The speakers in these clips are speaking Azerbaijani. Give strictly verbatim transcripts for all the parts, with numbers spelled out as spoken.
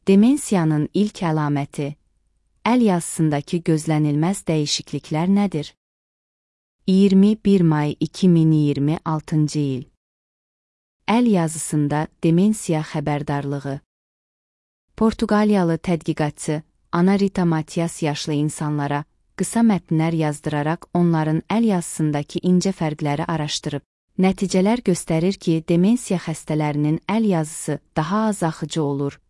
Demensiyanın ilk əlaməti, əl yazısındakı gözlənilməz dəyişikliklər nədir? iyirmi bir may iki min iyirmi altıncı il. Əl yazısında demensiya xəbərdarlığı. Portuqaliyalı tədqiqatçı Ana Rita Matias yaşlı insanlara qısa mətnlər yazdıraraq onların əl yazısındakı incə fərqləri araşdırıb. Nəticələr göstərir ki, demensiya xəstələrinin əl yazısı daha az axıcı olur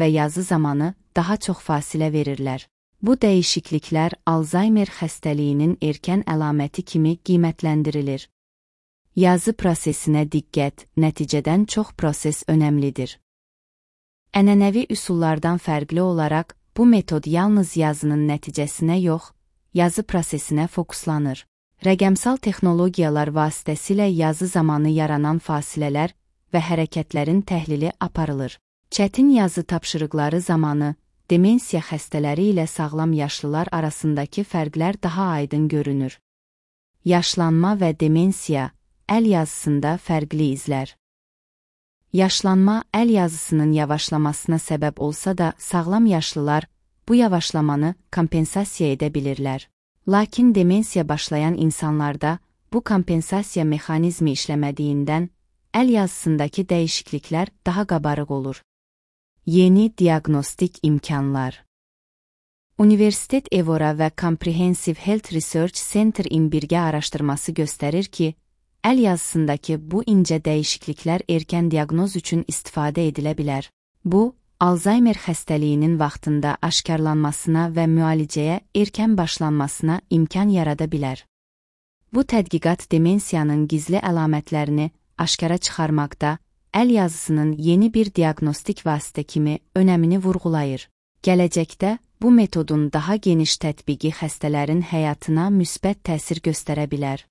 və yazı zamanı daha çox fasilə verirlər. Bu dəyişikliklər Alzheimer xəstəliyinin erkən əlaməti kimi qiymətləndirilir. Yazı prosesinə diqqət, nəticədən çox proses önəmlidir. Ənənəvi üsullardan fərqli olaraq, bu metod yalnız yazının nəticəsinə yox, yazı prosesinə fokuslanır. Rəqəmsal texnologiyalar vasitəsilə yazı zamanı yaranan fasilələr və hərəkətlərin təhlili aparılır. Çətin yazı tapşırıqları zamanı, demensiya xəstələri ilə sağlam yaşlılar arasındakı fərqlər daha aydın görünür. Yaşlanma və demensiya, əl yazısında fərqli izlər. Yaşlanma əl yazısının yavaşlamasına səbəb olsa da, sağlam yaşlılar bu yavaşlamanı kompensasiya edə bilirlər. Lakin demensiya başlayan insanlarda bu kompensasiya mexanizmi işləmədiyindən, əl yazısındakı dəyişikliklər daha qabarıq olur. Yeni diaqnostik imkanlar. Universitet Evora və Comprehensive Health Research Center-in birgə araşdırması göstərir ki, əl yazısındakı bu incə dəyişikliklər erkən diaqnoz üçün istifadə edilə bilər. Bu, Alzheimer xəstəliyinin vaxtında aşkarlanmasına və müalicəyə erkən başlanmasına imkan yarada bilər. Bu tədqiqat demensiyanın gizli əlamətlərini aşkara çıxarmaqda, əl yazısının yeni bir diaqnostik vasitə kimi önəmini vurğulayır. Gələcəkdə bu metodun daha geniş tətbiqi xəstələrin həyatına müsbət təsir göstərə bilər.